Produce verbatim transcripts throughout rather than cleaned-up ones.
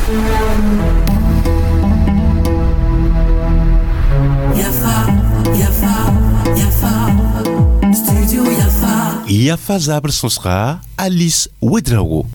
Yafa, Yafa, Yafa, Studio Yafa. Yafa zabr sõsga Alice Ouedraogo.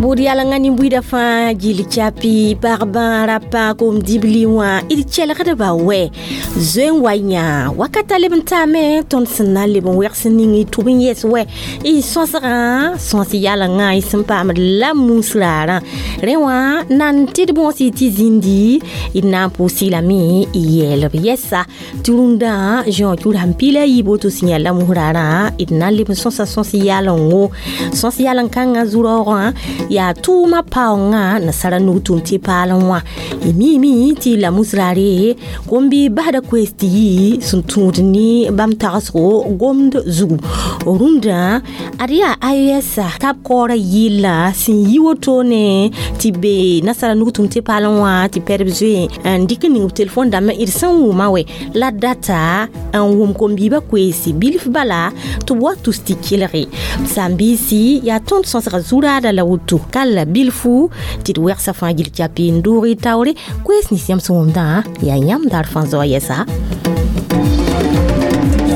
Bʋd yalengã nin-buiidã fãa gill chapi pagbã rapa kom dibli wã d kelgdba wɛ zoe n wa yã wakata leb n taame tõnd sẽn na n leb n wɛgs ning y tʋb n yɛs wɛ y sõsgã sõs yalengã y sẽn paamd la mus raarã rẽ wã nan tɩ d bõos y tɩ zĩndi d na n pʋʋs-y lame y yɛɛlb yɛsa tɩ rũndã zõ tʋ sãn piila yiib woto sẽn yaa la mus raarã d na n leb n sõsa sõs yalengo sõs yalen-kãngã zu-raoogã yaa tʋʋmã paoongã nasara nug tʋm tɩ paal n wã y miime tɩ la mus raare gom-bɩ basda koees tɩ yɩ sẽn tũud ne bãmb tagsgo gomd zugu rũndã ad yaa I O S tab kaoorã yɩlla sẽn yi wotone tɩ be nasara nug tʋm tɩ paal n wã tɩ pɛdb zoe n dɩk n ning b telefon dãmbã d sẽn wʋma wɛ la data n wʋm kom-biibã koeese bilf bala tɩ b wa tus tɩ kelge sãn-biisi yaa tõnd sõsga zu-raada la woto kal bilfu tɩ d wɛgsa fãa gill chapi n doog y taoore koees nins yãmb sẽn wʋmdã yaa yãmb daar fãa zoa yɛsa.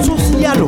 Sos yalo.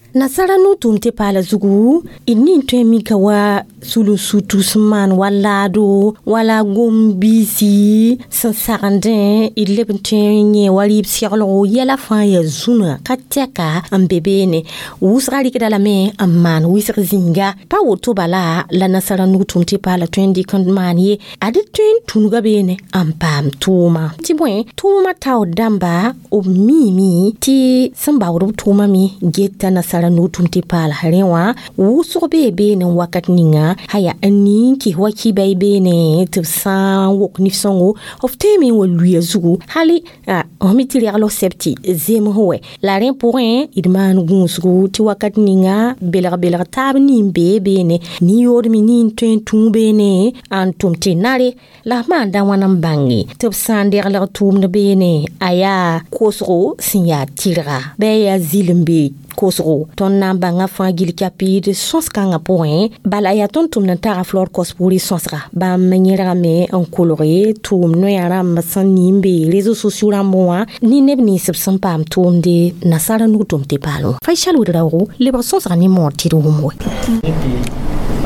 Nasara nu tʋʋm tɩ paala zugu d nin tõe n mika wa sulun-sutu sẽn maan wa laado wala gom-biisi sẽn sagendẽ d leb n tõe n yẽ wa rɩɩb seglgo yɛla fãa yaa zũnã ka tɛka n be beene wʋsga rɩkda lame n maan wɩsg zĩnga pa woto bala la nasara nug tʋʋm tɩ paala tõe n dɩk n maan ye ad tõe n tũnuga beene n paam tʋʋma tɩ bõe tʋʋmã taoor dãmba b miime tɩ sẽn baood b tʋʋmã me geta nasara nug tʋʋm tɩ paala rẽ wã wʋsg bee beene n wakat ninga haya n ning kɩs wa kɩba y beene tɩ b sã n wok nif-sõngo f tõeme n wa luya zugu hali f me tɩ regl f sɛb tɩ zems wɛ la rẽ pʋgẽ d maan gũusgu tɩ wakat ninga belg-belg taab nin bee beene nin-yoodme nin tõe n tũu beene n tʋm tɩ nare la f maanda wãna n bãnge tɩ b sã n deglg tʋʋmd beene a yaa kosgo sẽn yaa tɩrga bɩ a yaa zɩl n be kosgo tõnd na n bãnga fãa gill kapiid sõs-kãngã pʋgẽ bala yaa tõnd tʋmd n taga flor kos pʋʋrɩ sõsga bãmb yẽrgame n kolge tʋʋm noya rãmb sẽn nin be réseaux sociaux rãmb wã ne neb nins b sẽn paam tʋʋmde nasara nug tʋm tɩ paal wã Faisal Ouedraogo lebg sõsga ne moor tɩ d wʋm wɛ.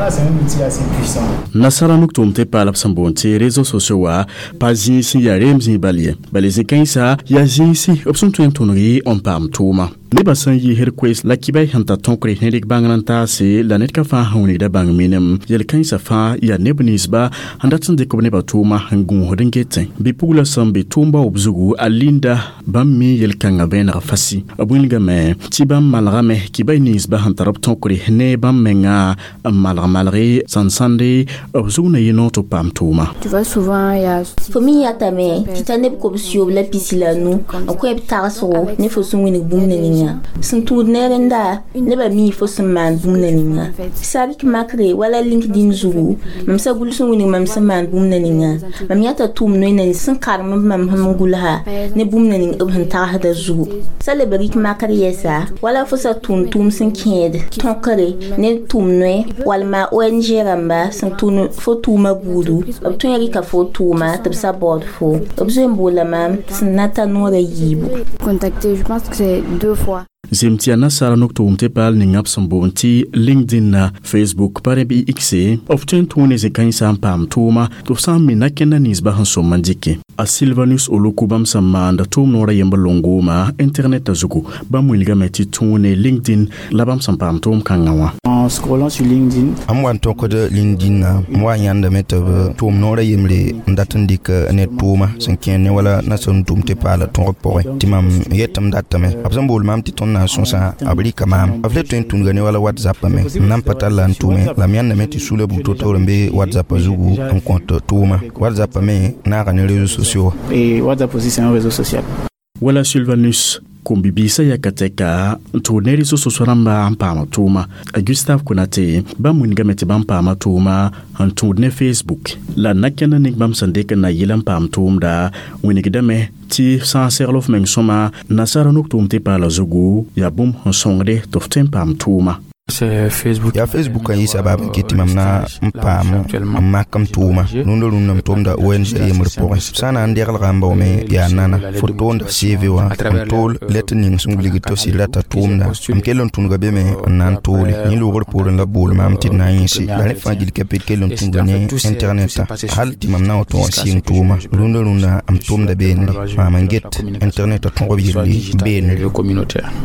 Ah, c'est un outil assez puissant. Nasara nuk tʋʋm tɩ paal b sẽn boond tɩ réseaux sociaux wã pa zĩis n yaa reem zĩig bal ye bala zĩ-kãensã yaa zĩisi b sẽn tõe n tõneg n paam tʋʋma nebã sẽn yiisd koees la kibay sẽn tar tõkre ne rɩk bãngr n taase la ned ka fãa sẽn wilgda bãng minim yel-kãensã fãa yaa neb ninsba sẽn dat n dɩk b nebã tʋʋma n gũusd n getẽ bɩ-pugla sẽn be tʋʋm baoob zugu a linda bãmb mi yel-kãngã vẽeneg fasi b wilgame tɩ bãmb malgame kibay ninsba sẽn tar b tõkre ne bãmb menga n malg malge sẽn sãnde b zug na yɩ noor tɩ b paam tʋʋma. Tu vois, souvent, il y a. Fo me yãtame tɩ ta neb kobs yoob la pisi la nu n koɛb tagsgo ne fo sẽn wilg bũmb na ninga sẽn tũud ne rẽnda nebã mii fo sẽn maan bũmb na ninga sa rɩk makre wala LinkedIn zugu mam sa gʋls n wilg mam sẽn maan bũmb na ninga mam yãta tʋʋm noy na sẽn karem b mam sẽn gʋlsa ne bũmb na ning b sẽn tagsda zugu sa leb rɩk makr yɛsa wala fo sa tʋʋm tʋʋm sẽn kẽed tõkre ne tʋʋm noe walma O N G rãmba sẽn tʋʋn fo tʋʋma buudu b tõe n rɩka fo tʋʋma tɩ b sa baood fo b zoe n boola maam sẽn na ta noorã yiibu. Contacté, je pense que c'est deux fois. Zem tɩ yaa nasaara nuk tʋʋm tɩ paal ninga b sẽn boond tɩ LinkedIn na Facebook pa rẽ bɩ X b tõe n tũu ne zĩ-kãensã n paam tʋʋma tɩ f sã n mina kẽnda ninsba sẽn sõm n dɩke a Silvanus Oluku bãmb sẽn maanda tʋʋm noorã yembr longooma internetã zugu bãmb wilgame tɩ tũu ne LinkedIn la bãmb sẽn paam tʋʋm kãngã wã. En scrollant sur LinkedIn, M wa n tõkd LinkedIn na m wa yãndame tɩ b tʋʋm noorã yembre n dat n dɩk ned tʋʋma sẽn kẽer ne wala nasem tʋʋm tɩ paala tõgb pʋgẽ tɩ mam yetɩ m datame b sẽn bool maam tɩ tõnd na n sõsã b rɩka maam b le tõe n tũnuga ne wala WhatsApp me m nan pa tar la n tʋʋme la m yãndame tɩ sula bug to-toor n be WhatsApp zugu n kõt tʋʋma WhatsApp me naaga ne réseaux sociaux. Et WhatsApp aussi, c'est un réseau social. Wala Sylvanus kom-bibiisã yaka tɛka n tʋʋd ne réseaux sociaux rãmba n paama tʋʋma a Gustave Konate bãmb wilgame tɩ bãmb paama tʋʋma n tũud ne Facebook la na kẽnd ning bãmb sẽn dɩk n na yɩl n paam tʋʋmda wingdame tɩ sã n segl f meng sõma nasaara nuk tʋʋm tɩ paala zugu yaa bũmb sẽn sõngde tɩ f tõe n paam tʋʋma. Yaa Facebook n yɩ sabab n kɩt tɩ mam na n paam n mak m tʋʋma rũndã rũndã m tʋmda O N G yembr pʋgẽ sã n na n degelga n baoome yaa nana fo toonda C V wã n tool lɛt ning sẽn wilgd tɩ f sɩd rata tʋʋmda m kell n tũnuga be me n na n toole yẽ loogr poorẽ la b bool maam tɩ d na n yẽse la rẽ fãa gill ka p d kell n tũnuga ne internetã hal tɩ mam na n wa tõog n sɩng tʋʋma rũndã rũndã m tʋmda beenre maam n get internetã tõgb yelle beenre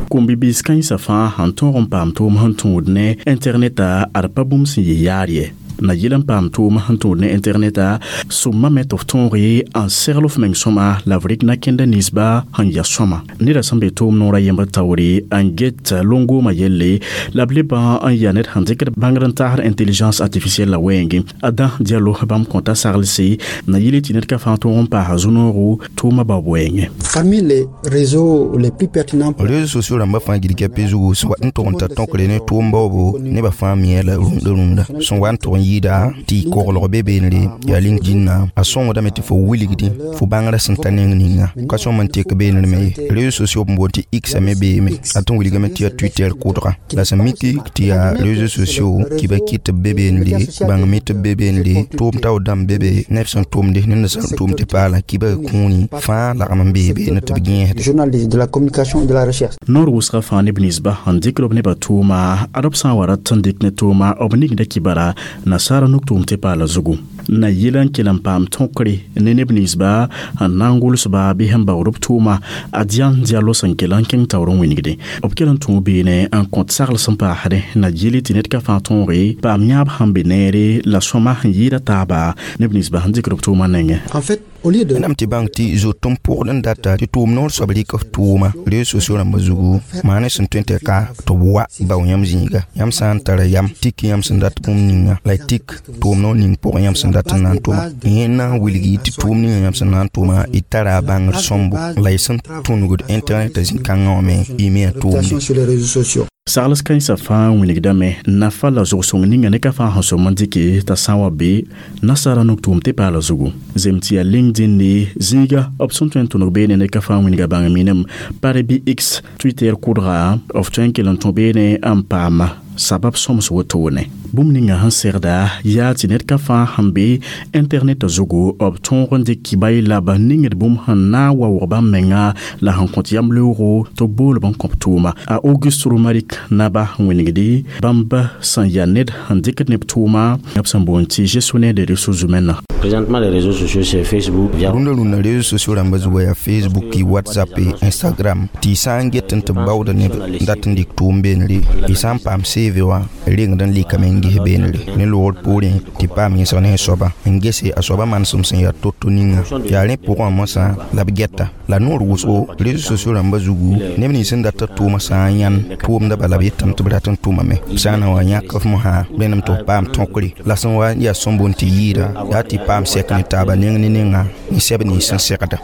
Kũm-bibiis kãensã fãa sẽn tõog n paam tʋʋm sẽn tũud ne internetã ad pa bũmb sẽn yɩ yaar ye na yɩl n paam tʋʋm sẽn tũud ne internetã sõmma me tɩ f tõoge n segl f meng sõma la f rɩk na-kẽnda ninsba sẽn ya sõma neda sẽn be tʋʋm noorã yembr taoore n get long-goomã yelle la b lebã n yaa ned sẽn dɩkd bãngd n taasd intelligence artificielle la wɛɛngẽ a dã dialo bãmb kõta saglse na yɩle tɩ ned ka fãa tõog n paasa zu-noogo tʋʋmã baob wɛɛngẽ. Parmi les réseaux les plus pertinents, réseaux sociaux rãmbã fãa gill ka pe zugu sẽn wat n tʋg n tar tõkre ne tʋʋm baoobo nebã fãa mia la rũndã rũndã sẽn wa n tʋg n yɩɩda tɩ koglg be beenre yaa LinkedIn a sõngdame tɩ fo wilgdẽ fo bãngrã sẽn ta neng ninga ka sõm n tek beenr me ye réseaux sociaux b boond tɩ X me beeme a tɩ n wilgame tɩ yaa Twitter kʋdga la sẽn miki tɩ yaa réseaux sociaux kɩba kɩt tɩ b be beenre bãng mi tɩ b be beenre tʋʋm taoor dãmb be be neb sẽn tʋmde ned sẽn tʋʋm tɩ paala kɩba kũuni fãa lagm n bee beene tɩ b gẽesde. Journal de la communication et de la recherche. Noor wʋsgã fãa neb ninsba sẽn dɩkd b nebã tʋʋma ad b sã n wa rat n dɩk ne tʋʋma b ningda kibara nasaara nuk tʋʋm tɩ paala zugu na yɩl n kell n paam tõkre ne neb ninsba sẽn na n gʋlsba bɩ sẽn baood b tʋʋma a Dian Diallo sẽn kell n kẽng taoor n wĩnigde b kell n tũu beene n kõt sagl sẽn paasdẽ na yɩle tɩ ned ka fãa tõoge paam yãab sẽn be neere la sõma sẽn yɩɩda taaba neb ninsba sẽn dɩkd b tʋʋma nengẽ. En fait, au lieu de Wẽnnaam tɩ bãng tɩ zoet n pʋgd n data tɩ tʋʋm noor soab rɩk f tʋʋma réseaux sociaux rãmbã zugu maa ne sẽn tõe tɩ ka tɩ b wa bao yãmb zĩiga yãmb sã n tara yam tik yãmb sẽn dat bũmb ninga la y tik tʋʋm noor ning pʋgẽ yãmb sẽn dat n na n tʋma yẽ na n wilgi tɩ tʋʋm ninga yãmb sẽn na n tʋma y tara a bãngr sõmbo la y sẽn tũnugd internet zĩ-kãngã wã me y me a tʋʋmde. Sur les réseaux sociaux. Sagls kãensã fãa wĩnigdame nafa la zog-sõng ninga ne ka fãa sẽn sõm n dɩke t'a sã n wa be nasaara nuk tʋʋm tɩ paala zugu zem tɩ yaa LinkedIn ne zĩiga b sẽn tõe n tʋneg beene ne ka fãa wĩnga bãng minim pare bɩ X Twitter kʋdga f tõe n kell n tũ beene n paama sabab sõms wotone bũmb ninga sẽn segda yaa tɩ ned ka fãa sẽn be internet zugu b tõog n dɩk kibay la b ningd bũmb sẽn na n wa wʋg bãmb menga la sẽn kõt yamleoogo tɩ b bool b n kõp tʋʋma a Auguste Romaric naba n wĩnigdi bãmb sẽn yaa ned sẽn dɩkd neb tʋʋma b sẽn boond tɩ gestionnaire des ressources humaines. Présentement, les réseaux sociaux, c'est Facebook. Via Rũndã rũndã réseaux sociaux rãmbã zugu yaa Facebook, WhatsApp, Instagram tɩ y sã n get n tɩ b baooda neb n dat n dɩk tʋʋm beenre y sã n paam C V wã rengd n lɩkame n ges beenre ne loogr poorẽ tɩ paam yẽsg ne soaba n gese a soaba manesem sẽn yaa to-to ninga yaa rẽ pʋgẽ wã mosã la b gɛta la noor wʋsgo réseaux sociaux rãmbã zugu neb nins sẽn dat tʋʋmã sã n yãn tʋʋmda bala b yetame tɩ b rat n tʋmame b sã n na wa yãk f mosã rẽndame tɩ f paam tõkre la sẽn wa yaa sõm boond tɩ yɩɩda yaa tɩ paam sɛk ne taaba neng ne nenga ne sɛb nins sẽn segda.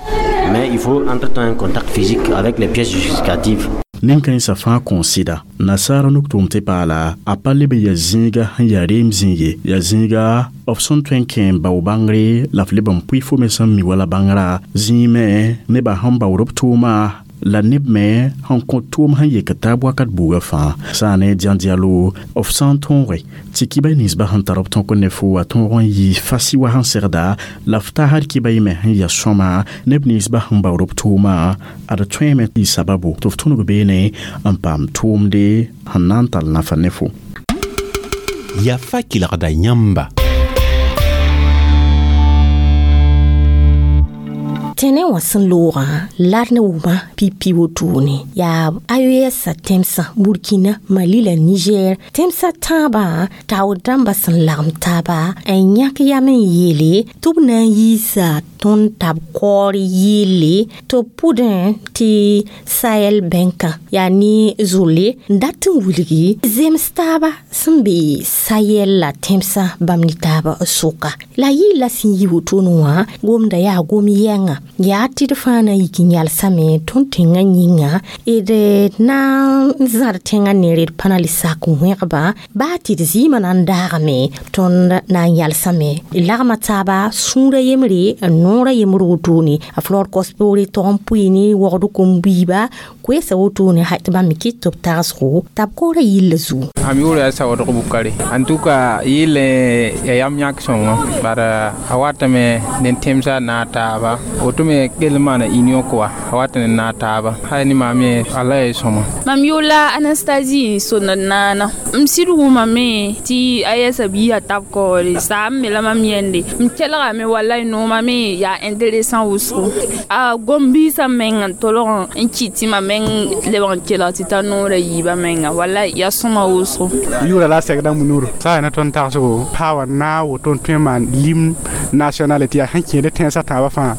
Mais il faut entre-temps un contact physique avec les pièces justificatives. Nin-kãensã fãa kõn sɩda nasaara nuk tʋʋm tɩ paala a pa leb n yaa zĩiga sẽn yaa reem zĩig ye yaa zĩiga f sẽn tõe n kẽ n bao bãngre la f leb n pʋɩ fo me sẽn mi wala bãngrã zĩig me nebã sẽn baood b tʋʋma la neb me sẽn kõt tʋʋm sẽn yek taab wakat buugã fãa sã ne Dian Diallo f sã n tõoge tɩ kibay ninsbã sẽn tar b tõk ne fo wa tõog n yɩ fasi wa sẽn segda la f taasd kibay me sẽn yaa sõma neb ninsbã sẽn baood b tʋʋma ad tõeme tɩ sababo tɩ f tõneg beene n paam tʋʋmde sẽn na n tall nafa ne fo. Yafa kelgda yãmba. Tẽnẽ wã sẽn loogã la d ne wʋma pipi wotone yaa A E S tẽmsã Burkina, Mali la Niger tẽmsã tãabã taood dãmbã sẽn lagem taaba n yãk yam n yeele tɩ b na n yiisa tõnd tab kaoor yɩɩle tɩ b pʋdẽ tɩ Sahel bẽnkã yaa ne zolle n dat n wilgi zems taaba sẽn be Sahel la tẽmsã bãmb ne taab sʋka la yɩɩla sẽn yi wotone wã gomda yaa gom yɛnga Yaa tɩ d fãa na yik n yalsame tõnd tẽngã yĩnga d na n zãd tẽngã neere d pa na le sak wẽgba baa tɩ d zɩɩmã na n daagame tõnd na n yalsame d lagma taaba sũurã yembre n noorã yembr wotone a flor kos-poore tog n pʋɩ ne wogd kom-buiiba koeesa wotone ha tɩ bãmb me kɩt tɩ b tagsgo t'a b koorã yillã zugu. Am yʋʋra yaa Sawadg Bukari. En tout cas yɩl ya yam yãk sõngo bara a watame ne tẽmsa na taaba woto me kell maana union koa a wat ne na taaba hay ni maam ye ala ye sõma. Mam yʋʋla Anastasie Sonod naana m sɩd wʋmame tɩ a yɛsa biisã tab kaoore saam me la mam yẽnde m kelgame walay noomã me yaa intéressant wʋsgo a gom-biisã meng n tolg n kɩt tɩ mam meng lebg n kelg tɩ t'a noorã yiibã menga walay yaa sõma wʋsgo. Yʋʋra la segda munuru sa na tõnd tagsgo paa na woto n tõe n maan l'hymne national tɩ yaa sẽn kẽed tẽnsã tãabã fãa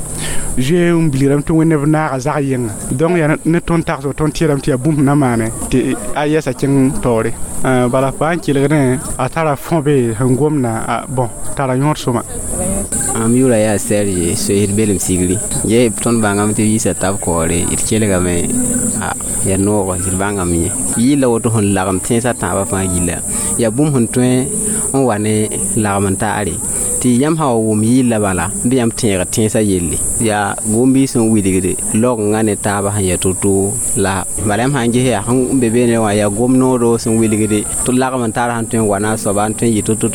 zoe n bilgrame tɩ wẽnd b naaga zag yɩnga donc yaa ne tõnd tagsgo tõnd tẽedame tɩ yaa bũmb na maane tɩ a yɛsa kẽng taoore bala pa n kelgdẽ a tara fõ-be sẽn gomna bon tara yõod sõma. Mam yʋʋra yaa Serge soeesd belem sigri ye tõnd bãngame tɩ yiisa tab kaoore d kelgame yaa noog d bãngame ye yɩla woto sẽn lagem tẽnsã tãabã fãa yilla yaa bũmb sẽn tõe n wa ne lagem n taare tɩ yãmb sã wa wʋm yɩlla bala bɩ yãmb tẽegd tẽnsã yelle yaa gom-biis sẽn wilgd laoongã ne taabã sẽn yaa to-to la bala yãmb sã n ges yaa sẽn be beene wã yaa gom-noodo sẽn wilgde tɩ lagem n tar sẽn tõe n wa na a soaba n tõe n yɩ to-to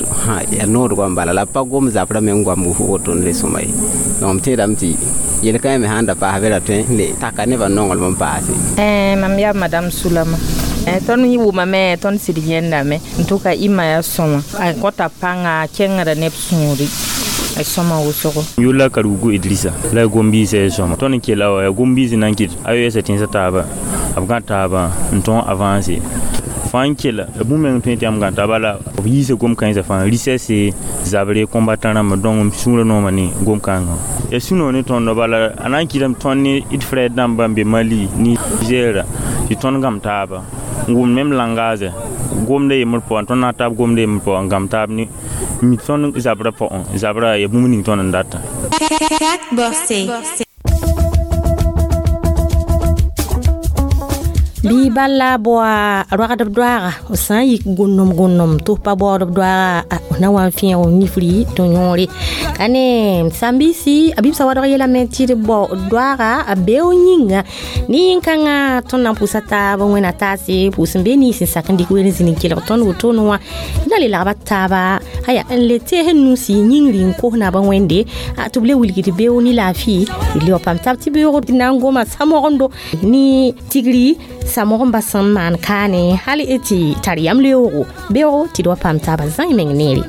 yaa nood goam bala la pa gom zabrã me n goam woto n le sõma ye donc m tẽedame tɩ yel-kãe me sãn da paas be ra tõe n le taka nebã nonglem n paase. Mam yaa madame Sulama. Tõnd wʋmame tõnd sɩd yẽndame n tʋka ɩma yaa sõma a kõta pãnga a kẽngda neb sũuri a sõma wʋsgo. Yʋʋr la Karugu Idrissa la gom-biisã yaa sõma tõnd n kela wa yaa gom-biis n na n kɩt a yoɛɛsa tẽnsã taaba b gã taabã n tõog avance fãa n kela bũmb meng tõe tɩ yãmb gã taaba la b yiisa gom-kãensã fãa richesse zabre combattant rãmba donc m sũurã nooma ne gom-kãngã ya sũ-noog ne tõndo bala a na n kɩtame tõnd ne d frɛɛr dãmba n be Mali Niger tɩ tõnd gãm taaba n wʋm même langage gomda yembr pʋgã tõnd na taab gomda yembr pʋgã n gãm taab ne mi tõnd zabrã pʋgẽ zabrã ya bũmb ning tõnd n data. Bɩ bala boa ragdb doaga b sã n yik gũnnom gũnnom tɩ f pa baoodb doaga na wa n fẽeg nifri tɩ yõore ka ne sãn-biisi a bɩbsã wadg yeelame tɩ d bao doaga a beo yĩnga ne yĩn-kãngã tõnd na n pʋʋsa taab wẽna taase pʋʋs n be nins n sak n dɩk ween zĩnd n kelg tõnd wotone wã na le lagba taaba aya n le tees n nusi yĩngri n kos naabã wẽnde tɩ b le wilgd beo ne laafɩ d le wa paam tab tɩ beoog na n goma samogendo ne tigri samog n bas sẽn maan kaane hal tɩ tar yam leoogo beoogo tɩ d wa paam taabã zãe meng neere.